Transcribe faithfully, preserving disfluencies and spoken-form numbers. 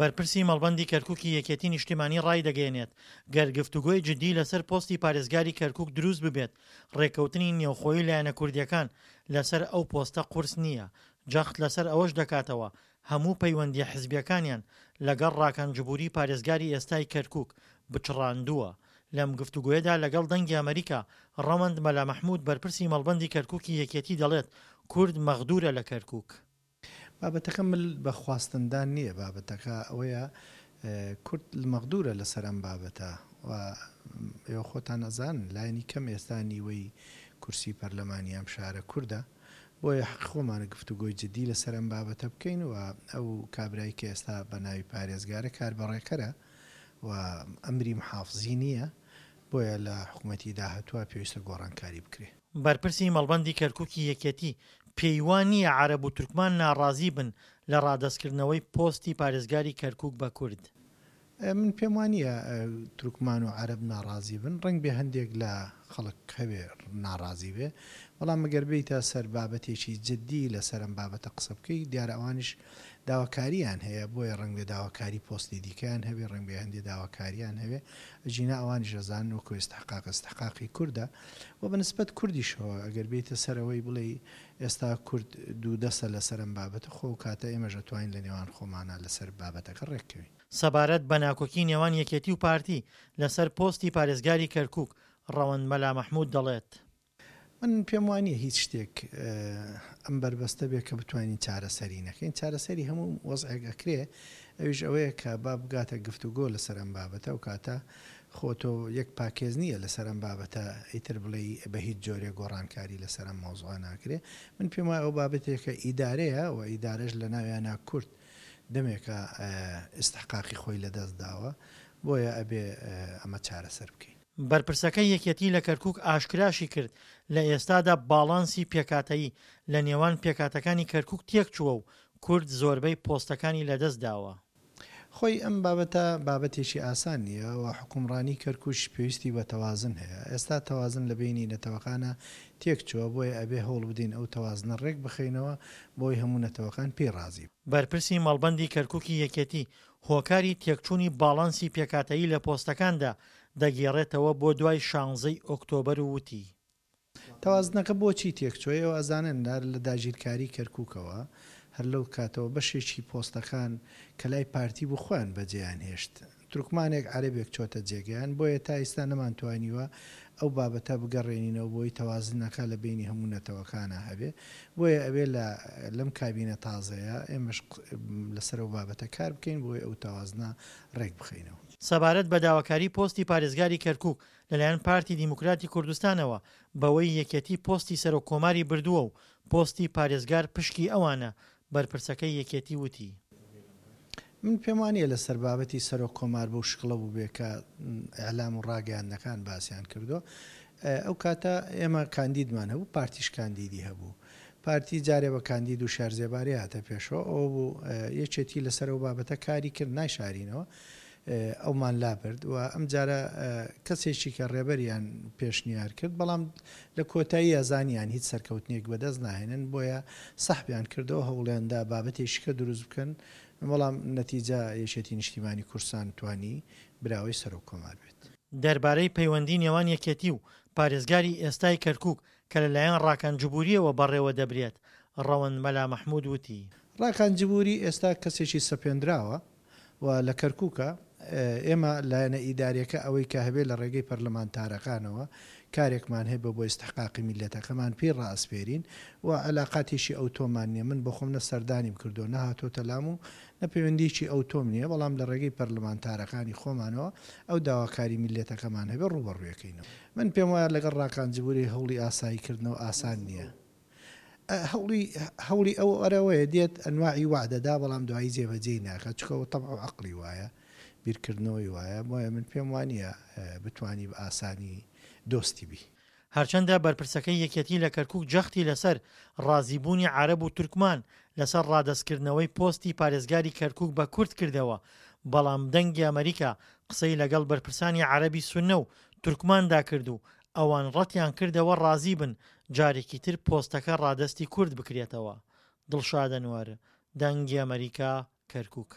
بەرپرسی مەڵبەندی کەرکوکی یەکێتی نیشتیمانی ڕایدەگەیەنێت، گەر گفتوگۆی جدی لەسەر پۆستی پارێزگاری کەرکوک دروست ببێت، ڕێککەوتنی نێوخۆیی لایەنە کوردییەکان لەسەر ئەو پۆستە قورس نییە، جەخت لەسەر ئەوەش دەکاتەوە، هەموو پەیوەندییە حزبییەکانیان لەگەڵ ڕاکان جبوری پارێزگاری ئێستای کەرکوک بچڕاندووە. لەم گفتوگۆیەدا لەگەڵ دەنگی ئەمەریکا، ڕەوەند مەلا مەحمود بەرپرسی مەڵبەندی کەرکوکی یەکێتی دەڵێت، کورد مەغدورە لە کەرکوک. بابەتەکە مل بە خواستندان نییە، بابەتەکە ئەوەیە کورد مەغدورە لەسەر ئەم بابەتە و ئێوە خۆتان ئەزانن لایەنی کەم ئێستا نیوەی کورسی پەرلەمانی ئەم شارە کوردە، بۆیە حەقی خۆمانە گفتوگۆی جدی لەسەر ئەم بابەتە بکەین و ئەو کابرای کە ئێستا بە ناوی پارێزگارە کاربەڕێکەرە و ئەمری محافزی نییە، بۆیە لە حکومەتی داهاتووە پێویستە گۆڕانکاری بکرێ. بەرپرسی مەڵبەندی کەرکوکی یەکێتی پێی وا نییە عەرەب و تورکمان ناڕازی بن لە ڕادەستکردنەوەی پۆستی پارێزگاری کەرکوک بە کورد. من پێم وا نییە تورکمان و عەرەب ناڕازی بن، ڕەنگبێ هەندێک لە خەڵک هەبێ ناڕازی بێ، بەڵام ئەگەر بێیتە سەر بابەتێکی جدی لەسەر ئەم بابەتە قسە بکەی، دیارە ئەوانیش داواکارییان هەیە، بۆیە ڕەنگبێ داواکاری پۆستی دیکەیان هەبێ، ڕەنگبێ هەندێ داواکارییان هەبێ، ئەگینا ئەوانیش ئەزانن وەکو ئیستحقاق ئیستحقاقی کوردە و بە نسبەت کوردیشەوە ئەگەر بێیتە سەر ئەوەی بڵێی ئێستا کورد دوو دەستە لەسەر ئەم بابەتە، خۆ ئەو کاتە ئێمەش ئەتوانین لە نێوان خۆمانا لەسەر بابەتەکە ڕێککەوین. سەبارەت بە ناکۆکی نێوان یەکێتی و پارتی لەسەر پۆستی پارێزگاری کەرکوک، ڕەوەند مەلا مەحمود دەڵێت. من پێم وانیە هیچ شتێک ئەم بەربەستە بێ کە بتوانین چارەسەری نەکەین، چارەسەری هەموو وەزعێک ئەکرێ، ئەویش ئەوەیە کە با بگاتە گفتوگۆ لەسەر ئەم بابەتە، ئەو کاتە خۆ تۆ یەک پاکێز نییە لەسەر ئەم بابەتە ئیتر بڵێی بە هیچ جۆرێک گۆڕانکاری لەسەر ئەم مەوزوعە ناکرێ، من پێم وایە ئەو بابەتێکە ئیدارەیە و ئیدارەش لەناویانا کورد دەمێکە ئیستحقاقی خۆی لەدەست داوە، بۆیە ئەبێ ئەمە چارەسەر بکەین. بەرپرسەکەی یەکێتی لە کەرکوک ئاشکراشی کرد، لە ئێستادا باڵانسی پێکهاتەیی لە نێوان پێکهاتەکانی کەرکوک تێکچووە و کورد زۆربەی پۆستەکانی لەدەستداوە. خۆی ئەم بابەتە بابەتێکی ئاسان نییە و حوکمڕانی کەرکوکیش پێویستی بە تەوازن هەیە. ئێستا تەوازن لە بەینی نەتەوەکانا تێکچووە، بۆیە ئەبێ هەوڵ بدەین ئەو تەوازنە ڕێک بخەینەوە بۆی هەموو نەتەوەکان پێی ڕازی بن. بەرپرسی مەڵبەندی کەرکوکی یەکێتی هۆکاری تێکچوونی باڵانسی پێکهاتەیی لە پۆستەکاندا دەگێڕێتەوە بۆ دوای شانزەی ئۆکتۆبەر و وتی. تەوازنەکە بۆچی تێکچووە؟ ئێوە ئەزانن هەر لە داگیرکاری کەرکوکەوە، هەر لەو کاتەوە بەشێکی پۆستەکان کە لای پارتی بوو خۆیان بەجێیان هێشت. تورکمانێک عەرەبێک چۆتە جێگەیان، بۆیە تا ئیستا نەمانتوانیوە ئەو بابەتە بگەڕێنینەوە بۆی تەوازنەکە لە بەینی هەموو نەتەوەکانا هەبێ، بۆیە ئەبێ لە لەم کابینە تازەیە ئێمەش لەسەر ئەو بابەتە کار بکەین بۆی ئەو تەوازنە ڕێک بخەینەوە. سەبارەت بە داواکاری پۆستی پارێزگاری کەرکوک لەلایەن پارتی دیموکراتی کوردستانەوە بەوەی یەکێتی پۆستی سەرۆک کۆماری بردووە و پۆستی پارێزگار پشکی ئەوانە، بەرپرسەکەی یەکێتی وتی. من پێم وانیە لەسەر بابەتی سەرۆک کۆمار بەو شکڵە بووبێ کە ئیعلام و ڕاگەیاندنەکان باسیان کردووە. ئەو کاتە ئێمە کاندیدمان هەبوو، پارتیش کاندیدی هەبوو. پارتی جارێ بە کاندید و شارزێباری هاتە پێشەوە، ئەوە بوو یەکێتی لەسەر ئەو بابەتە کاری کرد، نایشارینەوە ئەومان لابرد و ئەمجارە کەسێکی کە ڕێبەریان پێشنیار کرد، بەڵام لە کۆتاییا زانیان هیچ سەرکەوتنێک بەدەست ناهێنن، بۆیە سەحبیان کردەوە، هەوڵیان دا بابەتێکی کە دروست بکەن، بەڵام نەتیجە یەکێتی نیشتیمانی کوردستان توانی براوەی سەرۆک کۆمار بێت. دەربارەی پەیوەندی نێوان یەکێتی و پارێزگاری ئێستای کەرکوک کە لەلایەن ڕاکان جبورییەوە بەڕێوەدەبرێت، ڕەوەند مەلا مەحمود وتی. ڕاکان جبوری ئێستا کەسێکی سەپێندراوە و لە کەرکوکە، ئێمە لایەنە ئیداریەکە ئەوەی کە هەبێ لە ڕێگەی پەرلەمانتارەکانەوە کارێکمان هەبێ بۆ ئیستحقاقی میللەتەکەمان پێی ڕائەسپێرین و عەلاقاتێکی ئەوتۆمان نیە، من بۆخۆم نە سەردانیم کردووە نە هاتۆتە لام و نە پەیوەندیەکی ئەوتۆم نیە، بەڵام لە ڕێگەی پەرلەمانتارەکانی خۆمانەوە ئەو داواکاری میللەتەکەمان هەبێ ڕووبەڕوویەکەینەوە. من پێم وایە لەگەڵ ڕاکان جبوری هەوڵی ئاسایی کردنەوە ئاسان نیە. هەوڵی هەوڵی ئەو ئەرەوەیە دێت ئەنواعی وەعدە دا بەڵام دوایی جێبەجێی ناکات چونکە ئەوە تەبع و عەقڵی وایە بیرکردنەوەی وایە بۆیە من پێم وانیە بتوانی بە ئاسانی دۆستی بی. هەرچەندە بەرپرسەکەی یەکێتی لە کەرکوک جەختی لەسەر ڕازیبوونی عەرەب و تورکمان لەسەر ڕادەستکردنەوەی پۆستی پارێزگاری کەرکوک بە کورد کردەوە، بەڵام دەنگی ئەمەریکا قسەی لەگەڵ بەرپرسانی عەرەبی سوننە و تورکماندا کرد و ئەوان ڕەتیان کردەوە ڕازی بن جارێکی تر پۆستەکە ڕادەستی کورد بکرێتەوە. دڵشاد ئەنوەر، دەنگی ئەمەریکا، کەرکوک.